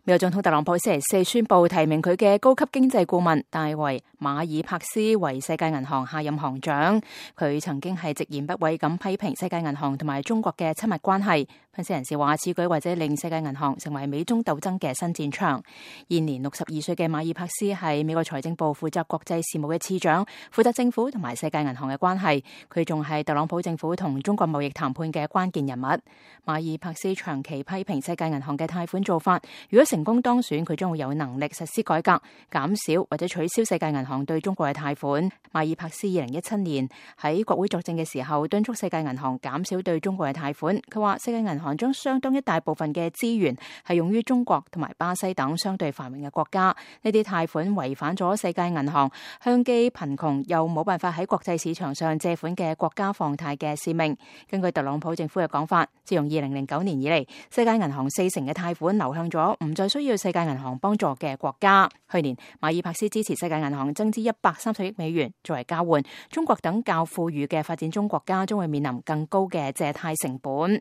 美國總統特朗普星期四宣布提名佢嘅高級經濟顧問戴維馬爾帕斯為世界銀行下任行長。佢曾經係直言不諱咁批評世界銀行同埋中國嘅親密關係。分析人士話，此舉或者令世界銀行成為美中鬥爭嘅新戰場。現年62歲嘅馬爾帕斯係美國財政部負責國際事務嘅次長，負責政府同埋世界銀行嘅關係。佢仲係特朗普政府同中國貿易談判嘅關鍵人物。馬爾帕斯長期批評世界銀行嘅貸款做法，如果成功當選，佢將會有能力實施改革，減少或者取消世界銀行對中國嘅貸款。馬爾帕斯2017年喺國會作證嘅時候，敦促世界銀行減少對中國嘅貸款。佢話世界銀行將相當一大部分嘅資源係用於中國同埋巴西等相對繁榮嘅國家。呢啲貸款違反咗世界銀行向既貧窮又冇辦法喺國際市場上借款嘅國家放貸嘅使命。根據特朗普政府嘅講法，自從2009年以嚟，世界銀行40%嘅貸款流向咗唔再需要世界銀行幫助嘅國家。去年馬爾帕斯支持世界銀行增資130億美元作為交換，中國等較富裕嘅發展中國家將會面臨更高嘅借貸成本。